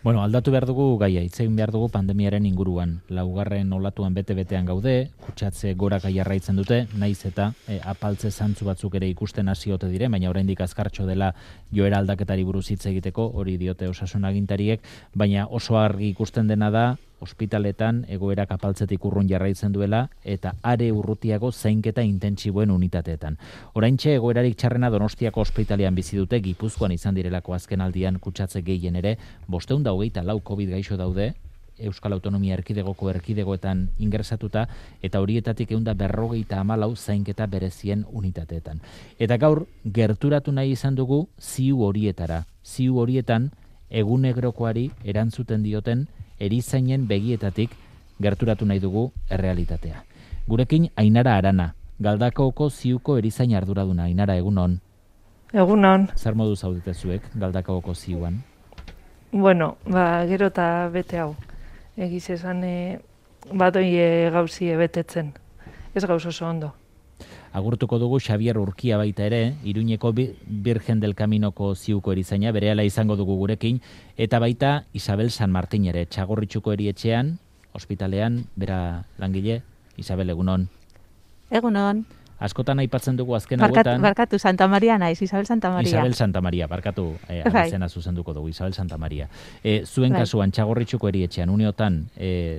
Bueno, aldatu behar dugu gaia, hitz egin behar dugu pandemiaren inguruan. Laugarren olatuan bete-betean gaude, kutsatze goraka jarraitzen dute, naiz eta apaltze zantzu batzuk ere ikusten hasi ote dire, baina oraindik azkartxo dela joera aldaketari buruz hitz egiteko, hori diote osasun agintariek, baina oso argi ikusten dena da, ospitaletan egoerak apaltzetik urrun jarraitzen duela eta are urrutiago zainketa intentsiboen unitateetan. Oraintxe egoerarik txarrena Donostiako ospitalean bizi dute, Gipuzkoan izan direlako azken aldian kutsatze gehien ere, 524 COVID gaixo daude, Euskal Autonomia Erkidegoko erkidegoetan ingresatuta, eta horietatik 154 zainketa berezien unitateetan. Eta gaur, gerturatu nahi izan dugu ziu horietara. Ziu horietan, egunegrokoari erantzuten dioten erizainen begietatik gerturatu nahi dugu errealitatea. Gurekin Ainara Arana, Galdakaoko ziuko erizain arduraduna. Ainara, egunon. Egunon. Zer modu zaudete zuek Galdakaoko ziuan? Bueno, gero eta bete hau. Egiz esan badoi gauzi betetzen. Ez gauz oso ondo. Agurtuko dugu Xabier Urkia baita ere, Iruñeko Virgen del Caminoko ziuko erizaina, berehala izango dugu gurekin, eta baita Isabel San Martin ere, Txagorritxuko erietxean, ospitalean, bera langile. Isabel, egunon. Egunon. Askotan aipatzen dugu azken hauetan... Barkatu, Santa Maria naiz, Isabel Santa Maria. Isabel Santa Maria, barkatu, abizena zuzenduko dugu, Isabel Santa Maria. Zuen kasuan, Txagorritxuko erietxean, uneotan,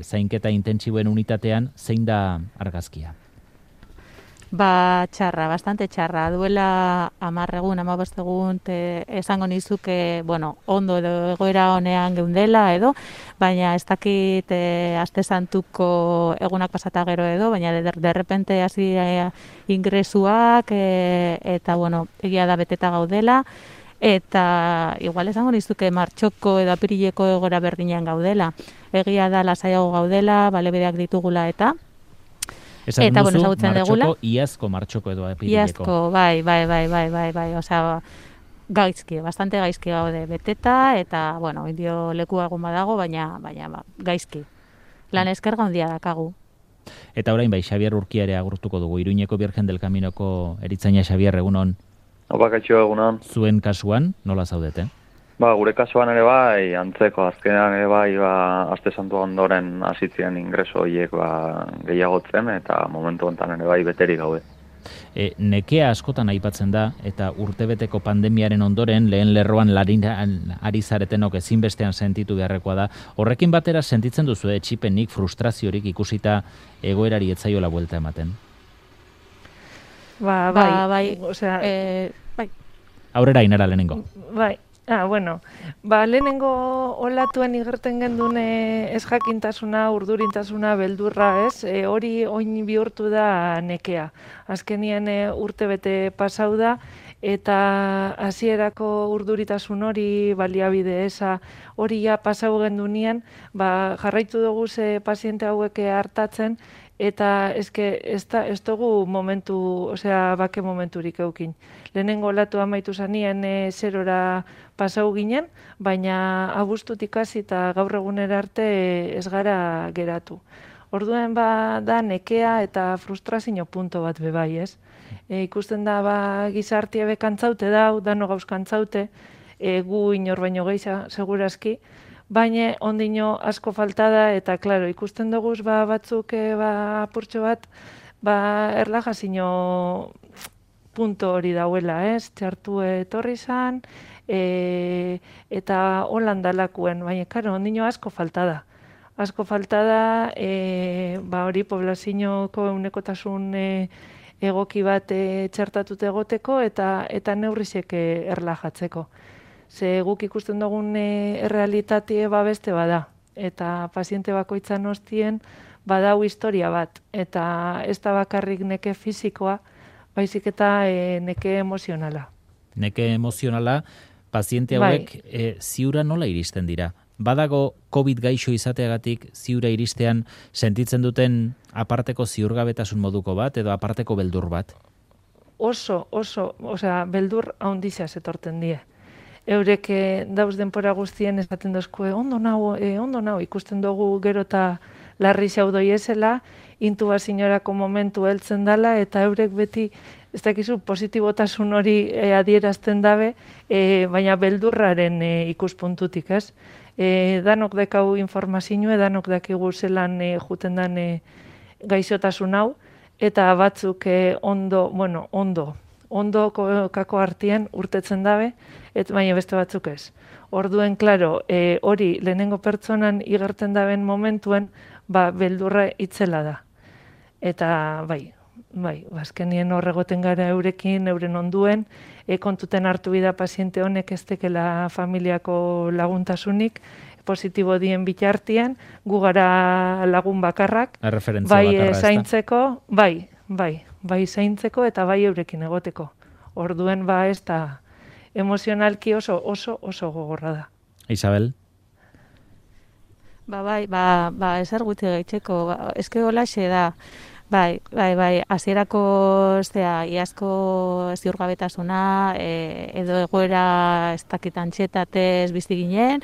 zainketa intentsiboen unitatean, zein da argazkia? Txarra, bastante txarra. Duela 10 egun, 15 egun, esango nizuke, ondo edo egoera honean geundela edo, baina ez dakit aste santuko egunak pasata gero edo, baina derrepente hasi ingresuak eta, egia da beteta gaudela, eta igual esango nizuke martxoko edo apirileko egoera berdinean gaudela. Egia da lasaiago gaudela, balebedeak ditugula eta... Esan duzu, martxoko, iazko martxoko edo apirileko. Iazko, bai, osea, gaizki, bastante gaizki gaude beteta, eta, indio leku egun badago, baina gaizki. Lan eskerga handia dakagu. Eta orain bai, Xabier Urkia ere agurtuko dugu, Iruñeko Virgen del Caminoko eritzaina. Xabier, egunon. Kaixo, egunon. Zuen kasuan, nola zaudete? Gure kasuan ere bai, antzeko, azkenean ere bai, aste santu ondoren hasitzen ingreso horiek gehiagotzen, eta momentu honetan ere bai beterik gaude. Nekea askotan aipatzen da, eta urtebeteko pandemiaren ondoren, lehen lerroan ari zaretenok ezinbestean sentitu beharrekoa da. Horrekin batera sentitzen duzu etxipenik, frustraziorik ikusita egoerari etzaiola buelta ematen? Bai. Aurrera, Ainara, lehenengo. Bai. Lehenengo olatuen igerten gendun ez jakintasuna, urdurintasuna, beldurra, ez? Hori oin bihurtu da nekea. Azkenien urte bete pasau da, eta hasierako urduritasun hori, baliabide eza, hori ja pasau gendunien, jarraitu dugu ze paziente hauek hartatzen, eta ez dugu bake momenturik eukin. Lehenengo olatu amaitu zanien zerora pasau ginen, baina abuztutik hasi eta gaur egunera arte ez gara geratu. Orduen da nekea eta frustrazio punto bat bebai, ez? Ikusten da gizartia bekantzaute dau, dano gauz kantzaute, gu inor baino gehiago segurazki, baina ondino asko falta da, eta, klaro, ikusten dugu batzuk apurtxo bat, erlajazio punto hori dauela, ez? Txartu etorri zan, eta holandalakuen, baina, klaro, ondino asko falta da. Asko falta da, hori poblazioko eunekotasun egoki bat txartatute egoteko, eta neurrizek erlajatzeko. Ze guk ikusten dugun errealitatea beste bada, eta paziente bakoitzan hostien badau historia bat, eta ez da bakarrik neke fisikoa, baizik eta neke emozionala. Neke emozionala, paziente hauek ziura nola iristen dira? Badago COVID gaixo izateagatik ziura iristean sentitzen duten aparteko ziurgabetasun moduko bat edo aparteko beldur bat? Oso, beldur haundizia zetorten die. Eurek dauz denpora guztien esaten dozkue, ondo nau, ikusten dugu gero eta larri xaudoi ezela, intubazioarako momentu heltzen dela, eta eurek beti ez dakizu positibotasun hori adierazten dabe, baina beldurraren ikuspuntutik, ez? Danok dekau informazioa, danok dakigu zelan juten dan gaixotasun hau, eta batzuk ondo kako artean urtetzen dabe, baina beste batzuk ez. Orduen, klaro, hori lehenengo pertsonan igerten daben momentuen, beldurra itzela da. Eta bai, azkenien horregoten gara eurekin, euren onduen, kontuten hartu bida paziente honek ez tekela familiako laguntasunik, positibo dien bitartian, gu gara lagun bakarrak, bai zaintzeko, bai zaintzeko eta bai eurekin egoteko. Orduen ez da emozionalki oso gogorra da. Isabel? Ezer guti gaitzeko, eske holaxe da. Bai, hasierako iazko ziurgabetasuna, edo egoera ez dakitan txetatez bizi ginen,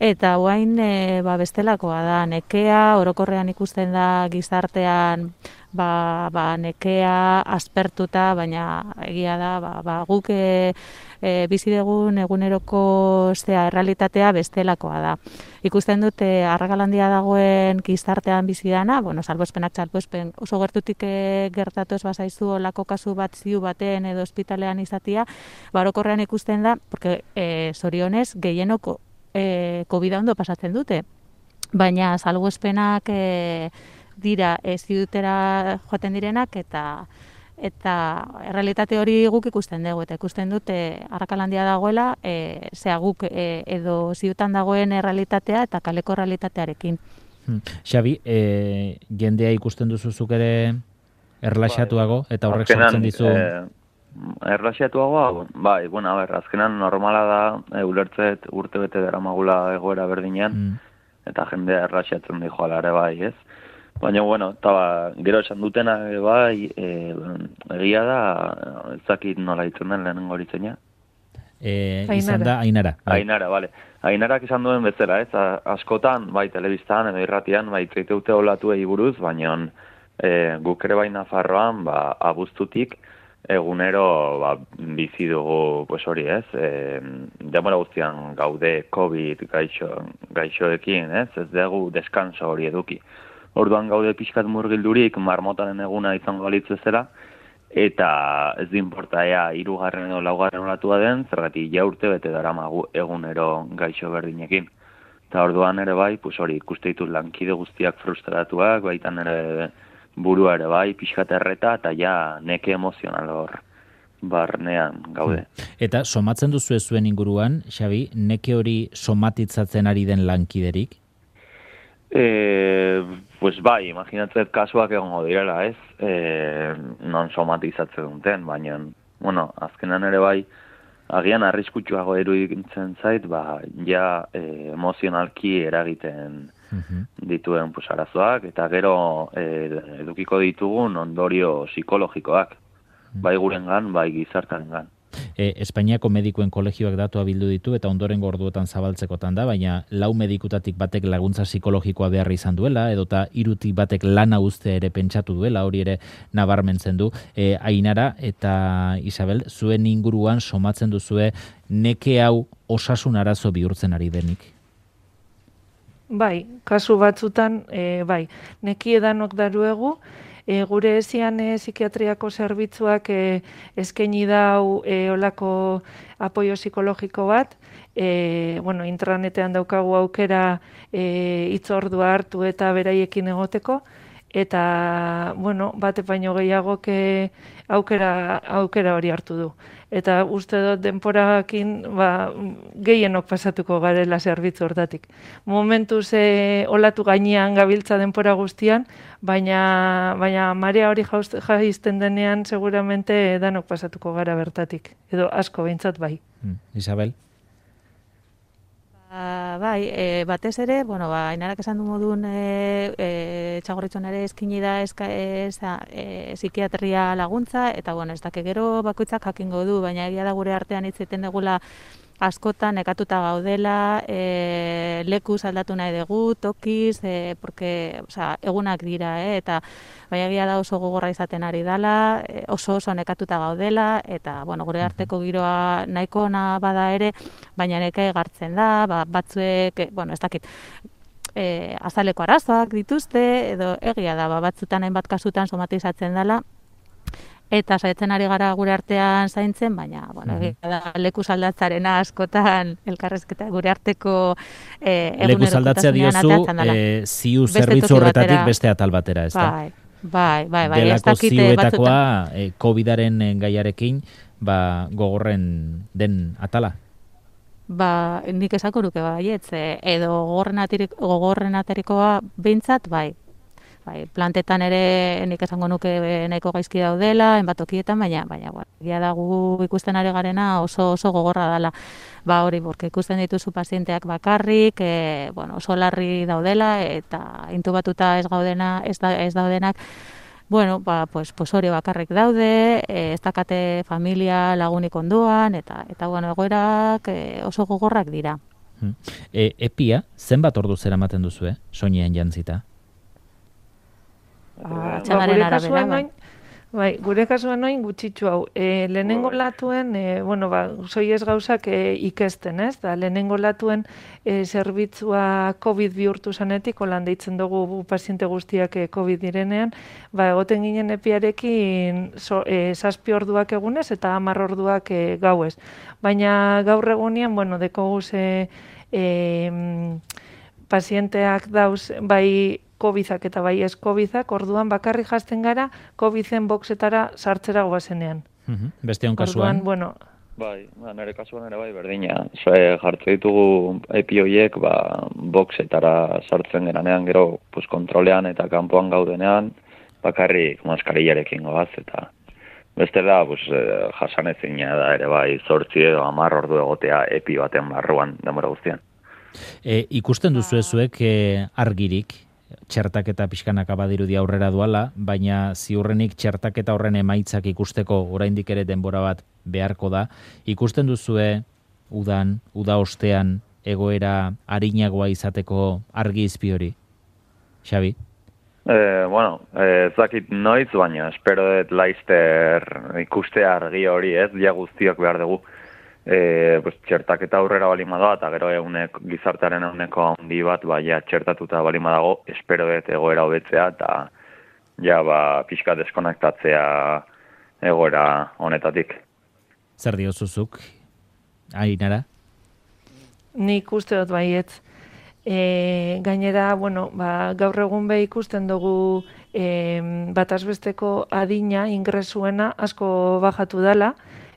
eta guain bestelakoa da, nekea, orokorrean ikusten da gizartean nekea aspertuta, baina egia da, guk bizi dugun eguneroko errealitatea bestelakoa da. Ikusten dute arrakalandia dagoen gizartean bizi dana, salbuespenak salbuespen oso gertutik gertatu ez bazaizu olako kasu bat ziu baten edo ospitalean izatia, orokorrean ikusten da, porque zorionez gehienok COVID-a ondo pasatzen dute, baina salbuespenak dira ziutera joaten direnak eta errealitate hori guk ikusten dugu, eta ikusten dute arrakalandia dagoela, guk edo ziutan dagoen errealitatea eta kaleko errealitatearekin. Xabi, jendea ikusten duzuzuk ere erlaxatuago, eta horrek sortzen dizu... Erlaxatuagoa, azkenan normala da, ulertzet urte bete daramagula egoera berdinean, eta jendea erlaxatzen di joala ere bai, ez? Baina, gero esan dutena egia da, ezakit nola ditzen den lehenengo horitzenia. Izan da, Ainara. Ainara, bale. Ainarak izan duen bezala, ez? Askotan, telebistan edo irratian, itzeiteute olatuei buruz, baina guk ere bai Nafarroan, abuztutik, egunero bizi dugu hori, ez? Denbora guztian gaude COVID gaixoekin, ez? Ez dugu deskanso hori eduki. Orduan gaude pixkat murgildurik marmotaren eguna izango balitz bezala, eta ez du inporta ea 3. edo 4. olatua den, zergatik urte bete daramagu egunero gaixo berdinekin. Eta orduan ere bai, hori ikuste ditut lankide guztiak frustratuak, baitan ere burua ere bai, pixkat erreta, eta neke emozional hor barnean gaude. Eta somatzen duzu zuen inguruan, Xabi, neke hori somatitzatzen ari den lankiderik? Imaginatzet kasuak egongo direla, ez? Non somatizatzen duten, baina, azkenan ere bai, agian arriskutsuago eruditzen zait, emozionalki eragiten dituen arazoak, eta gero edukiko ditugun ondorio psikologikoak, bai gurengan, bai gizartarengan. Espainiako medikuen kolegioak datua bildu ditu eta ondorengo orduetan zabaltzekotan da, baina 4 medikutatik batek laguntza psikologikoa behar izan duela, edota 3 batek lana uzte ere pentsatu duela, hori ere nabarmentzen du. Ainara eta Isabel, zuen inguruan somatzen duzue neke hau osasun arazo bihurtzen ari denik? Bai, kasu batzutan, neki edanok daruegu, gure ezian psikiatriako zerbitzuak eskaini dau olako apoio psikologiko bat, intranetean daukagu aukera hitzordua hartu eta beraiekin egoteko, eta, bate baino gehiagok aukera hori hartu du. Eta uste dut denporakin gehienok pasatuko garela zerbitzu hortatik. Momentuz olatu gainean gabiltza denpora guztian, baina marea hori jaizten denean seguramente danok pasatuko gara bertatik. Edo asko behintzat bai. Isabel? Batez ere, Ainarak esan du modun Txagorritxuan ere eskini da psikiatria laguntza, eta ez dake gero bakoitzak jakingo du, baina egia da gure artean hitz egiten dugula askotan nekatuta gaudela, lekuz aldatu nahi dugu, tokiz, porque, egunak dira, eta baina egia da oso gogorra izaten ari dela, oso nekatuta gaudela, eta, gure arteko giroa nahiko ona bada ere, baina neka egartzen da, batzuek, ez dakit, azaleko arazoak dituzte, edo egia da, batzutan hainbat kasutan somatizatzen dela, eta saiatzen ari gara gure artean zaintzen, baina, da lekuz aldatzarena askotan elkarrezketa gure arteko lekuz aldatzea diozu, ziu zerbitzu horretatik beste atal batera, ez da? Bai. Delako ziuetakoa, COVID-aren gaiarekin, gogorren den atala? Nik esako nuke baietz, edo gogorren aterikoa behintzat, bai, plantetan ere nik esango nuke nahiko gaizki daudela, enbatokietan, baina egia da gu ikusten ari garena oso gogorra dela. Hori, porque ikusten dituzu pazienteak bakarrik, oso larri daudela, eta intubatuta ez daudenak, pues hori bakarrik daude, ez dakate familia lagunik ondoan, eta egoerak oso gogorrak dira. Epia, zenbat ordu zeramaten duzu, soinean jantzita? Gure kasuan noin gutxitxu hau. Lehenengo latuen, soiez gauzak ikesten, ez? Lehenengo latuen zerbitzua COVID bihurtu zanetik, holan deitzen dugu paziente guztiak COVID direnean, egoten ginen epiarekin 7 orduak egunez eta 10 orduak gauez. Baina gaur egunean, dekogu pazienteak dauz, bai COVID-ak eta bai ez COVID-ak, orduan bakarrik jazten gara COVID-en boxetara sartzera goazenean. Beste hon kasuan? Bai, nire kasuan ere bai berdina. Jartze ditugu epioiek, boxetara sartzen geranean, gero kontrolean eta kanpoan gaudenean, bakarrik maskarillarekin goaz, eta beste da, jasanezina da ere bai, 8 edo 10 ordu egotea epi baten barruan denbora guztian. Ikusten duzu ezuek argirik, txertaketa pixkanaka badirudi aurrera duala, baina ziurrenik txertaketa horren emaitzak ikusteko oraindik ere denbora bat beharko da. Ikusten duzue uda ostean egoera arinagoa izateko argi izpi hori? Xabi? Ez dakit noiz, baina espero dut laizter ikustea argi hori, ez? Ja guztiak behar dugu. Txertaketa aurrera balima da, eta gero gizartearen eguneko handi bat, txertatuta balima dago, espero dut egoera hobetzea, eta pixka deskonektatzea egoera honetatik. Zer diozuzuk, Ainara? Nik uste dut baietz. Gainera, gaur egun ikusten dugu batazbesteko adina ingresuena asko bajatu dela,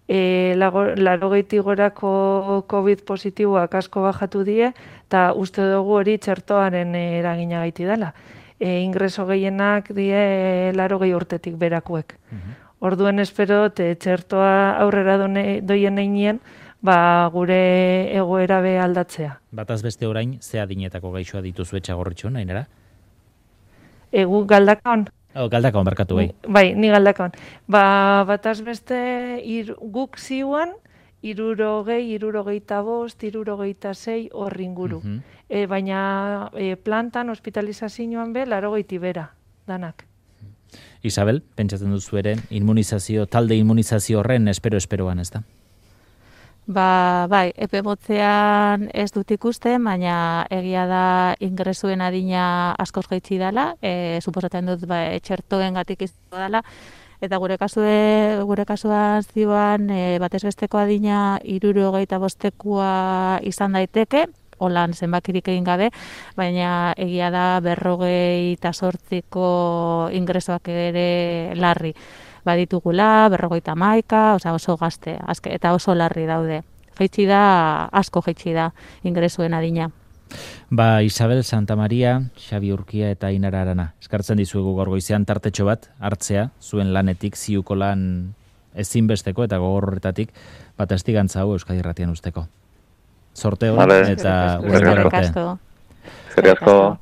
80 gorako COVID positiboak asko bajatu die, eta uste dugu hori txertoaren eragina gaiti dela. Ingreso gehienak die 80 urtetik berakuek. Orduen espero, txertoa aurrera doien einien, gure egoera be aldatzea. Bataz beste orain, ze adinetako gaixoa dituzu etxagorritxo, Ainara? Egu Galdakaon. Galdakaon, barkatu bai. Bai, ni Galdakaon. Bataz beste guk ziuan, 60, 65, 66 horri inguru. Baina plantan, hospitalizazioan be, 80 bera, danak. Isabel, pentsatzen duzu ere, talde immunizazio horren esperoan, ez da? Bai, epe motzean ez dut ikusten, baina egia da ingresuen adina askoz jaitsi dela, suposatzen dut txertoengatik izango dela, eta gure kasuan zioan batez besteko adina 65 izan daiteke, holan zenbakirik egin gabe, baina egia da 58ko ingresoak ere larri baditugula, 51, oso gazte, eta oso larri daude. Asko jaitsi da ingresuen adina. Isabel Santamaria, Xabi Urkia eta Ainara Arana. Eskartzen dizuegu gaur goizean tartetxo bat hartzea, zuen lanetik, ziuko lan ezinbesteko eta gogor horretatik, testigantza hau Euskadi Irratian usteko. Sorte hori eta urrengo arte. Eskerrik asko.